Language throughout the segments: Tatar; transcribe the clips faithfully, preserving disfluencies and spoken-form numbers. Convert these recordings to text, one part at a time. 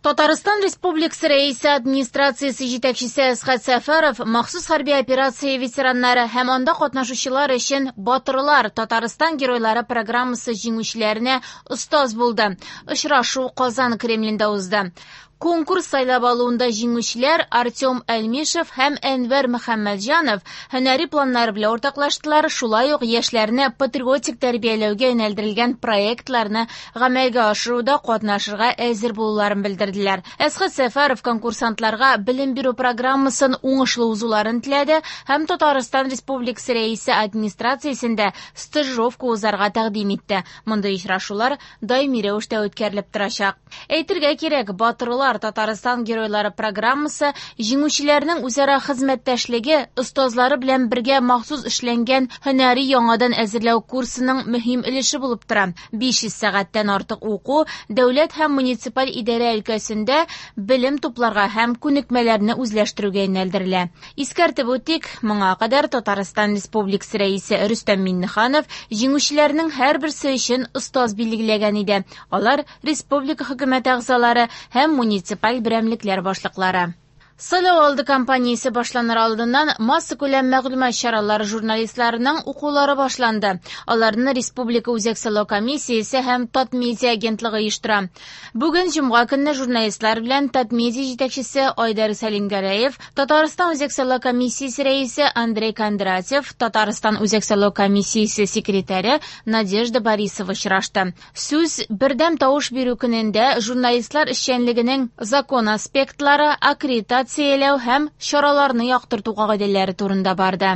Татарстан Республикасы Рәисе администрациясе җитәкчесе Әсхәт Сәфәров махсус хәрби операция ветераннары һәм анда катнашучылар өчен «Батырлар. Татарстан геройлары» программасы җиңүчеләренә остаз булды. Очрашу Казан Кремлендә узды. Конкурс сайлап алуында җиңүчеләр Артем Әлмишев һәм Әнвәр Мөхәммәтҗанов һөнәри планнары белән уртаклаштылар, шулай ук яшьләрне патриотик тәрбияләүгә юнәлдерелгән проектларны гамәлгә ашыруда катнашырга әзер булуларын белдерделәр. Әсхәт Сәфәров конкурсантларга белем бирү программасын уңышлы узуларын теләде һәм Татарстан Республикасы Рәисе администрациясендә стажировка узарга тәкъдим итте. Мондый очрашулар даими рәвештә үткәрелеп торачак. Әйтергә кирәк, «Батырлар. Татарстан геройлары» программасы җиңүчеләрнең үзара хезмәттәшлеге, остазлары белән бергә махсус эшләнгән һөнәри яңадан әзерләү курсының мөһим өлеше булып тора. биш йөз сәгатьтән артык уку дәүләт һәм муниципаль идарә өлкәсендә белем тупларга һәм күнекмәләрне үзләштерүгә юнәлдерелә. Искәртеп үтик, моңа кадәр Татарстан Республикасы Рәисе Рөстәм Миңнеханов җиңүчеләрнең һәрберсе өчен остаз билгеләгән иде. Алар республика хөкүмәте әгъзалары һәм муниципаль берәмлекләр башлыклары. Сайлау алды кампаниясе башланыр алдыннан массакүләм мәгълүмат чаралары журналистларының укулары башланды. Аларны Республика Үзәк сайлау комиссиясе һәм Татмедиа агентлыгы оештыра. Бүген җомга көнне журналистлар белән Татмедиа җитәкчесе Айдар Сәлимгәрәев, Татарстан Үзәк сайлау комиссиясе рәисе Андрей Кондратьев, Татарстан Үзәк сайлау комиссиясе секретаре Надежда Борисова очрашты. Сүз бердәм тавыш бирү көнендә журналистлар эшчәнлегенең закон аспектлары, аккредитация һәм чараларны яктырту кагыйдәләре турында барды.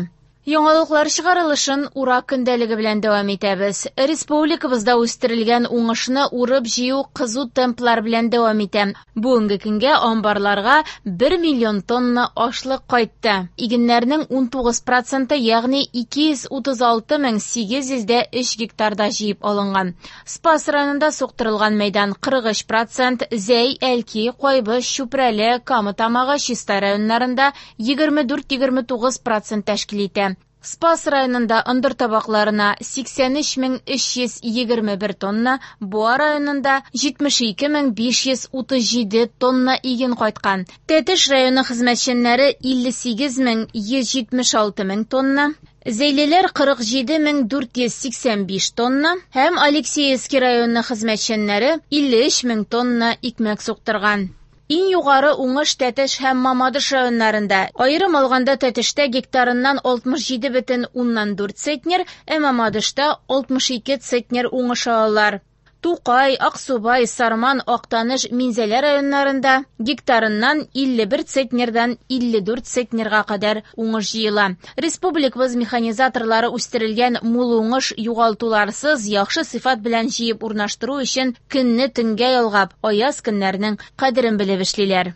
Яңалыклар чыгарылышын урак көндәлеге белән дәвам итәбез. Республикабызда үстерелгән уңышны урып җыю кызу темплар белән дәвам итә. Бүгенге көнгә амбарларга бер миллион тонна ашлык кайтты. Игеннәрнең ун тугыз проценты, ягъни ике йөз утыз алты мең сигез йөз дә өч гектарда җыеп алынган. Спас районында суктырылган мәйдан кырык өч процент, Зәй, Әлки, Кайбыч, Чүпрәле, Кама Тамагы, Чистай районнарында егерме дүрт-егерме тугыз процент тәшкил итә. Спас районында ындыр табакларына сиксән өч мең өч йөз егерме бер тонна, Буа районында җитмеш ике мең биш йөз утыз җиде тонна иген кайткан. Тәтеш районы хезмәтчәннәре илле сигез мең йөз җитмеш алты мең тонна, Зәйлеләр кырык җиде мең дүрт йөз сиксән биш тонна һәм Алексеевский районы хезмәтчәннәре илле өч мең тонна икмәк суктырган. Иң югары уңыш Тәтеш һәм Мамадыш районнарында. Аерым алганда Тәтештә гектарыннан алтмыш җиде бөтен уннан дүрт центнер, ә Мамадышта алтмыш ике центнер уңыш алалар. Тукай, Аксубай, Сарман, Актаныш, Минзәлә районнарында гектарыннан илле бер центнердан илле дүрт центнерга кадәр уңыш җыела. Республикабыз механизаторлары үстерелгән мул уңыш югалтуларсыз яхшы сыйфат белән җыеп урнаштыру өчен көнне төнгә ялгап, аяз көннәрнең кадерен белеп эшлиләр.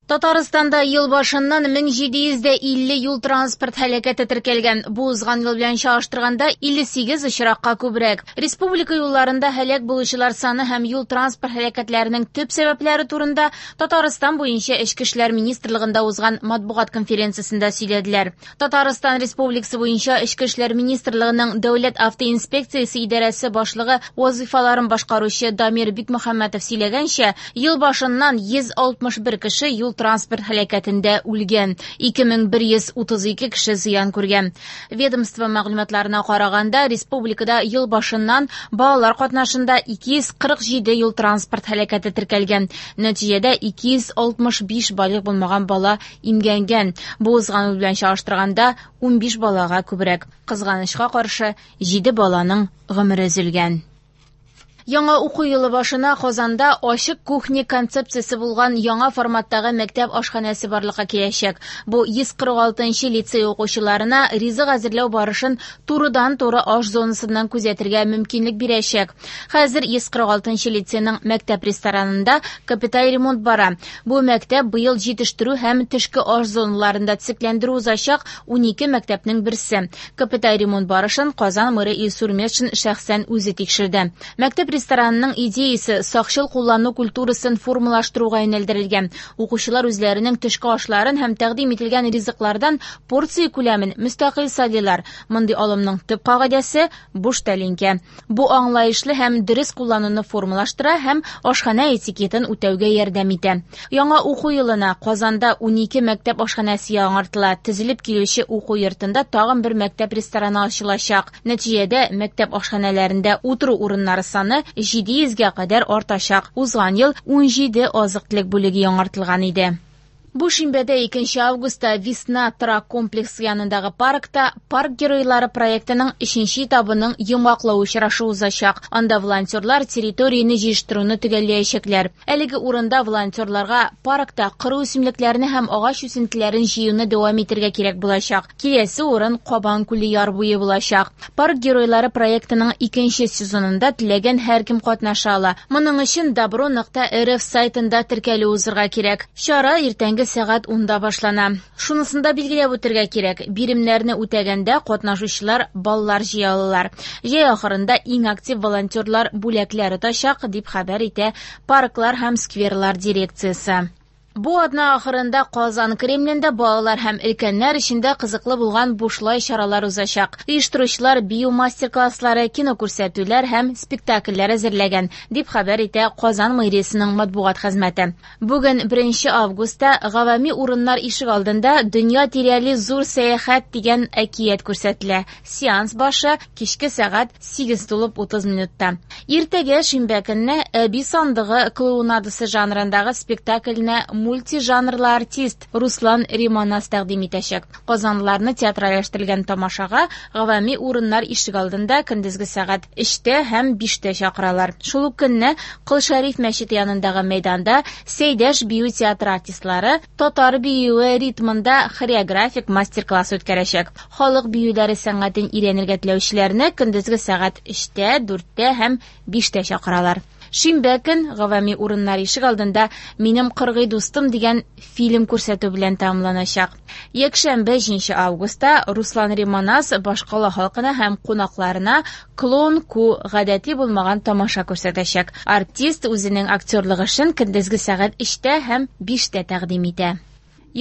Татарстанда ел башыннан мең җиде йөз дә илле юл транспорт һәлакәте теркәлгән. Бу узган ел белән чагыштырганда илле сигез очракка күбрәк. Республика юлларында һәлак булучылар саны һәм юл транспорт һәлакәтләренең төп сәбәпләре турында Татарстан буенча Эчке эшләр министрлыгында узган матбугат конференциясендә сөйләделәр. Татарстан Республикасы буенча Эчке эшләр министрлыгының Дәүләт автоинспекциясе идарәсе башлыгы вазифаларын башкаручы Дамир Бикмөхәммәтов сөйләгәнчә, ел башыннан йөз алтмыш бер кеше юл транспорт һәлакәтендә үлгән, ике мең бер йөз утыз ике кеше зыян күргән. Ведомство мәгълүматларына караганда, республикада ел башыннан балалар катнашында ике йөз кырык җиде юл транспорт һәлакәте теркәлгән. Нәтиҗәдә ике йөз алтмыш биш балигъ булмаган бала имгәнгән. Бу узган ел белән чагыштырганда унбиш балага күбрәк. Кызганычка каршы, җиде баланың гомере өзелгән. Яңа уку елы башына Казанда ачык кухня концепциясе булган яңа форматтагы мәктәп ашханәсе барлыкка киләчәк. Бу йөз кырык алтынчы лицей укучыларына ризык әзерләү барышын турыдан-туры аш зонасыннан күзәтергә мөмкинлек бирәчәк. Хәзер йөз кырык алтынчы лицейның мәктәп ресторанында капиталь ремонт бара. Бу мәктәп быел җитештерү һәм төшке аш зоналарында төзекләндерү узачак унике мәктәпнең берсе. Капиталь ремонт барышын Казан мэры Илсур Метшин шәхсән үзе тикшерде. Мәктәп Мәктәп ресторанының идеясе сакчыл куллану культурасын формалаштыруга юнәлдерелгән. Укучылар үзләренең төшке ашларын һәм тәкъдим ителгән ризыклардан порция күләмен мөстәкыйль сайлыйлар. Мондый алымның төп кагыйдәсе – буш тәлинкә. Бу аңлаешлы һәм дөрес куллануны формалаштыра һәм ашханә этикетын үтәүгә ярдәм итә. Яңа уку елына Казанда унике мәктәп ашханәсе яңартыла. Төзелеп килүче уку йортында тагын бер мәктәп рестораны ачылачак. Нәтиҗәдә мәктәп ашханәләрендә утыру урыннары саны җиде йөзгә кадәр артачак. Узган ел унҗиде азык-төлек бүлеге яңартылган иде. Бу шимбәдә икенче августта Весна торак комплексы янындагы паркта Парк геройлары проектының өченче этабының йомгаклау очрашуы узачак. Анда волонтерлар территорияне җыештыруны төгәлләячәкләр. Әлеге урында волонтерларга паркта коры үсемлекләрне һәм агач үсентеләрен җыюны дәвам итәргә кирәк булачак. Киләсе урын Кабан күле яр буе булачак. Парк геройлары проектының икенче сезонында теләгән һәркем катнаша ала. Моның өчен добро нокта рф сайтында теркәлү узырга кирәк. Чара иртәнге сәгать унда башлана. Шунысын да билгеләп үтәргә кирәк. Биремнәрне үтәгәндә катнашучылар баллар җыя алалар. Җәй ахырында иң актив волонтерлар бүләкләр отачак, дип хәбәр итә Парклар һәм скверлар дирекциясе. Бу атна ахырында Казан Кремлендә балалар һәм өлкәннәр өчен дә кызыклы булган бушлай чаралар узачак. Оештыручылар бию мастер-класслары, кино күрсәтүләр һәм спектакльләр әзерләгән, дип хәбәр итә Казан мэриясенең матбугат хезмәте. Бүген беренче августта гавами урыннар ишек алдында Дөнья тирәли зур сәяхәт дигән әкият күрсәтелә. Сеанс башы кичке сәгать сигез тулып утыз минутта. Иртәгә шимбә көнне Әби сандыгы клоунадасы жанрындагы спектакльне мультижанрлы артист Руслан Риманас тәкъдим итәчәк. Казанлыларны театральләштерелгән тамашага гавами урыннар ишек алдында көндезге сәгать өчтә һәм биштә чакыралар. Шул ук көнне Кол Шәриф мәчете янындагы мәйданда Сәйдәш бию театры артистлары татар биюе ритмында хореографик мастер-класс үткәрәчәк. Халык биюләре сәнгатен өйрәнергә теләүчеләрне көндезге сәгать өчтә, дүрттә һәм биштә чакыралар. Шимбә көн гавами урыннар ишек алдында Минем кыргый дустым дигән фильм күрсәтү белән тәмамланачак. Якшәмбе җиденче августта Руслан Риманас башкала халкына һәм кунакларына Клон Ку гадәти булмаган тамаша күрсәтәчәк. Артист үзенең актерлык эшен көндезге сәгать өчтә һәм биштә тәкъдим итә.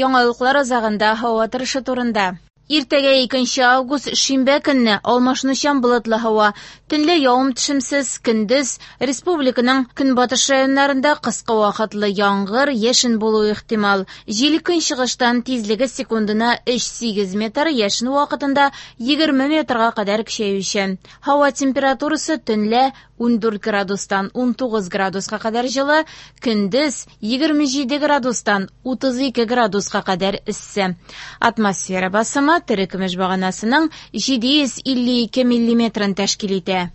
Яңалыклар азагында һава торышы турында. Иртәгә икенче август шимбә көнне алмашынучан болытлы һава, төнлә явым-төшемсез, көндез республиканың көнбатыш районнарында кыска вакытлы яңгыр, яшен булуы ихтимал. Җил көнчыгыштан тизлеге секундына өч сигез метр, яшен вакытында егерме метрга кадәр көчәючән. Һава температурасы төнлә ундүрт градустан унтугыз градуска кадәр җылы, көндез егерме җиде градустан утыз ике градуска кадәр эссе. Атмосфера басымы терекөмеш баганасының җиде йөз илле ике миллиметрын тәшкил итә.